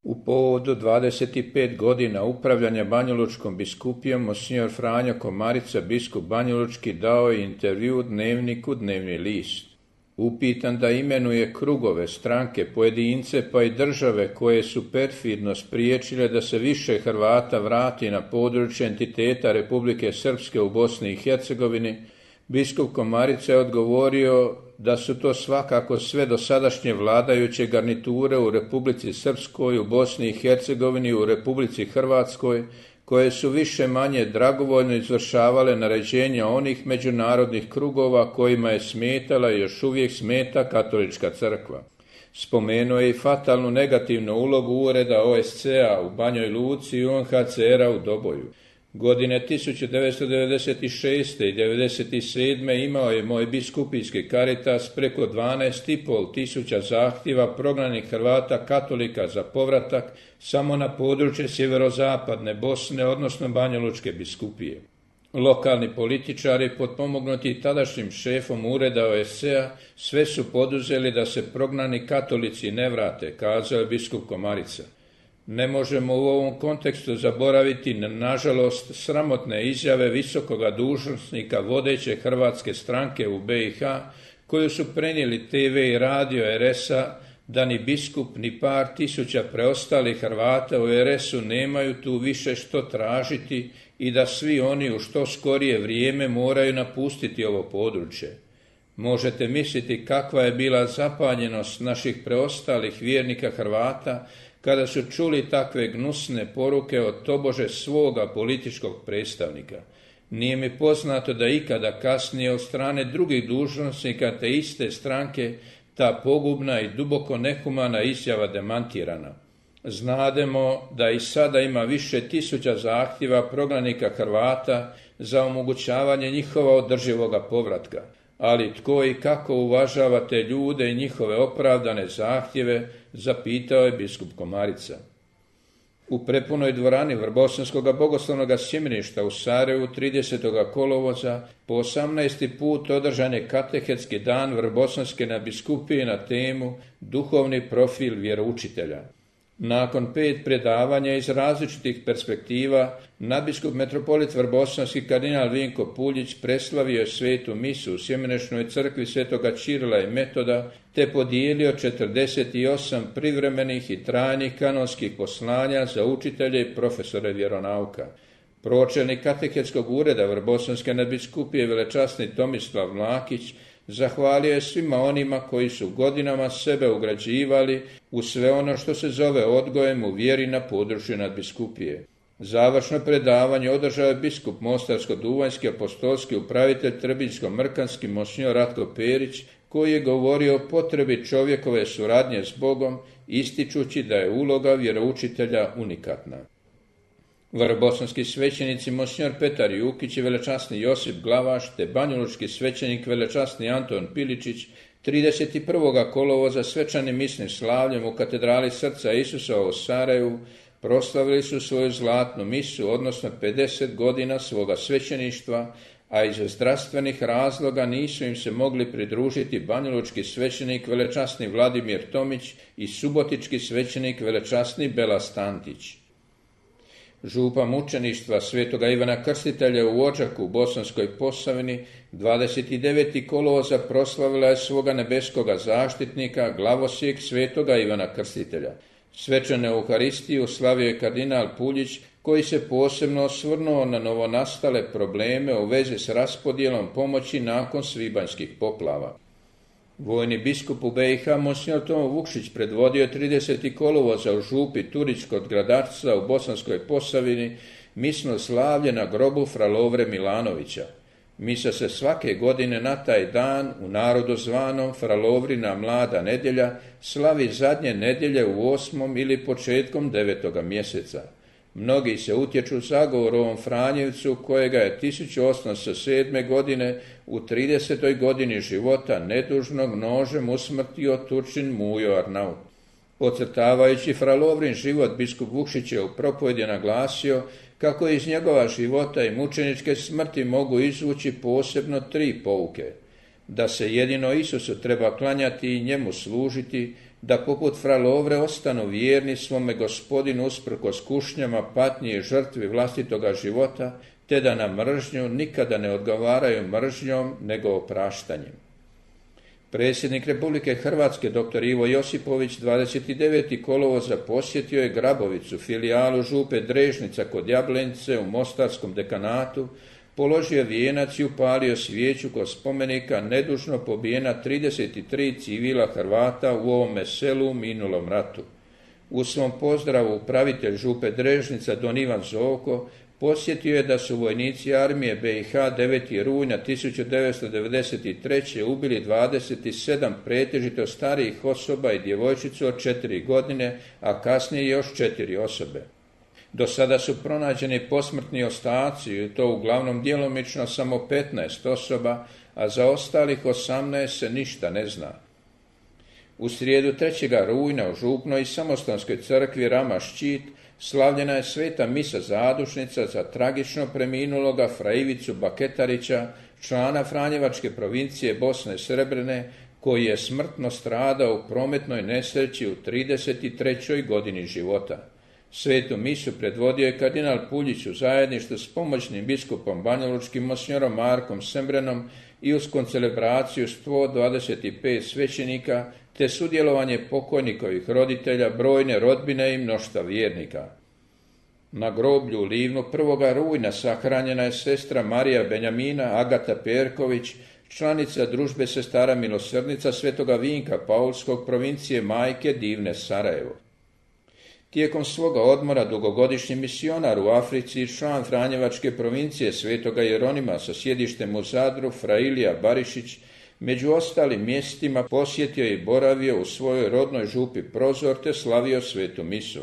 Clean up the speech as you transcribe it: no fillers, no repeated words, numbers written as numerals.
U povodu 25 godina upravljanja Banjalučkom biskupijom, monsignor Franjo Komarica, biskup banjalučki, dao je intervju dnevniku Dnevni list. Upitan da imenuje krugove, stranke, pojedince pa i države koje su perfidno spriječile da se više Hrvata vrati na područje entiteta Republike Srpske u Bosni i Hercegovini, biskup Komarica je odgovorio da su to svakako sve dosadašnje vladajuće garniture u Republici Srpskoj, u Bosni i Hercegovini, u Republici Hrvatskoj, koje su više manje dragovoljno izvršavale naređenja onih međunarodnih krugova kojima je smetala i još uvijek smeta katolička crkva. Spomenuo je i fatalnu negativnu ulogu ureda OSCE-a u Banjoj Luci i UNHCR-a u Doboju. Godine 1996. i 1997. imao je moj biskupijski Caritas preko 12,5 tisuća zahtjeva prognanih Hrvata katolika za povratak samo na područje sjeverozapadne Bosne, odnosno Banjalučke biskupije. Lokalni političari, potpomognuti tadašnjim šefom ureda OSCE-a, sve su poduzeli da se prognani katolici ne vrate, kazao je biskup Komarica. Ne možemo u ovom kontekstu zaboraviti nažalost sramotne izjave visokoga dužnosnika vodeće hrvatske stranke u BiH, koju su prenijeli TV i radio RS-a, da ni biskup ni par tisuća preostalih Hrvata u RS-u nemaju tu više što tražiti i da svi oni u što skorije vrijeme moraju napustiti ovo područje. Možete misliti kakva je bila zapanjenost naših preostalih vjernika Hrvata kada su čuli takve gnusne poruke od tobože svoga političkog predstavnika. Nije mi poznato da ikada kasnije od strane drugih dužnosnika te iste stranke ta pogubna i duboko nehumana izjava demantirana. Znademo da i sada ima više tisuća zahtjeva prognanika Hrvata za omogućavanje njihova održivoga povratka. Ali tko i kako uvažava te ljude i njihove opravdane zahtjeve, zapitao je biskup Komarica. U prepunoj dvorani Vrbosanskog bogoslovnog sjemeništa u Sarajevu 30. kolovoza po 18. put održan je katehetski dan Vrbosanske nadbiskupije na temu Duhovni profil vjeroučitelja. Nakon 5 predavanja iz različitih perspektiva, nadbiskup metropolit Vrbosanski kardinal Vinko Puljić preslavio je svetu misu u Sjemenečnoj crkvi svetoga Čirila i Metoda, te podijelio 48 privremenih i trajnih kanonskih poslanja za učitelje i profesore vjeronauka. Pročelnik katehetskog ureda Vrbosanske nadbiskupije velečasni Tomislav Mlakić zahvalio je svima onima koji su godinama sebe ugrađivali u sve ono što se zove odgojem u vjeri na području nadbiskupije. Završno predavanje održao je biskup Mostarsko-duvanjski apostolski upravitelj Trbiljsko-mrkanski monsignor Ratko Perić, koji je govorio o potrebi čovjekove suradnje s Bogom, ističući da je uloga vjeroučitelja unikatna. Vrbosanski svećenici monsignor Petar Jukić i velečasni Josip Glavaš te banjalučki svećenik velečasni Anton Piličić 31. kolovoza svečanim misnim slavljem u katedrali Srca Isusova u Sarajevu proslavili su svoju zlatnu misu, odnosno 50 godina svoga svećeništva, a iz zdravstvenih razloga nisu im se mogli pridružiti banjalučki svećenik velečasni Vladimir Tomić i subotički svećenik velečasni Bela Stantić. Župa mučeništva svetoga Ivana Krstitelja u Odžaku u Bosanskoj Posavini 29. kolovoza proslavila je svoga nebeskoga zaštitnika, glavosjek svetoga Ivana Krstitelja. Svečanu Euharistiju slavio je kardinal Puljić, koji se posebno osvrnuo na novonastale probleme u vezi s raspodjelom pomoći nakon svibanjskih poplava. Vojni biskup u BiH monsignor Tomo Vukšić predvodio 30. kolovoza u župi Turić kod Gradarca u Bosanskoj Posavini misno slavlje na grobu fra Lovre Milanovića. Misa se svake godine na taj dan u narodu zvanom fra Lovrina mlada nedjelja slavi zadnje nedjelje u 8. ili početkom 9. mjeseca. Mnogi se utječu zagovorom Franjevcu, kojega je 1807. godine u 30. godini života nedužnog nožem usmrtio Turčin Mujo Arnaut. Ocrtavajući fra Lovrin život, biskup Vukšić je u propovjedi naglasio kako iz njegova života i mučeničke smrti mogu izvući posebno 3 pouke. Da se jedino Isusu treba klanjati i njemu služiti, da poput fra Lovre ostanu vjerni svome Gospodinu usprkos kušnjama, patnji i žrtvi vlastitoga života, te da na mržnju nikada ne odgovaraju mržnjom, nego opraštanjem. Predsjednik Republike Hrvatske dr. Ivo Josipović 29. kolovoza posjetio je Grabovicu, filijalu župe Drežnica kod Jablenice u Mostarskom dekanatu, položio vijenac i upalio svijeću kod spomenika nedužno pobijena 33 civila Hrvata u ovome selu u minulom ratu. U svom pozdravu upravitelj župe Drežnica don Ivan Zovko podsjetio je da su vojnici armije BiH 9. rujna 1993. ubili 27 pretežito starijih osoba i djevojčicu od 4 godine, a kasnije još 4 osobe. Do sada su pronađeni posmrtni ostaci i to uglavnom djelomično samo 15 osoba, a za ostalih 18 se ništa ne zna. U srijedu 3. rujna u župnoj i samostanskoj crkvi Rama Ščit slavljena je sveta misa zadušnica za tragično preminuloga fra Ivicu Baketarića, člana Franjevačke provincije Bosne Srebrene, koji je smrtno stradao u prometnoj nesreći u 33. godini života. Svetu misu predvodio je kardinal Puljić u zajedništvu s pomoćnim biskupom banjalučkim monsignorom Markom Sembrenom i uz koncelebraciju 125 svećenika te sudjelovanje pokojnikovih roditelja, brojne rodbine i mnoštva vjernika. Na groblju u Livnu 1. rujna sahranjena je sestra Marija Benjamina Agata Perković, članica družbe sestara milosrdnica Svetoga Vinka Paulskog, provincije Majke Divne Sarajevo. Tijekom svoga odmora dugogodišnji misionar u Africi i član Franjevačke provincije Svetoga Jeronima sa sjedištem u Zadru, fra Ilija Barišić, među ostalim mjestima posjetio i boravio u svojoj rodnoj župi Prozor te slavio svetu misu.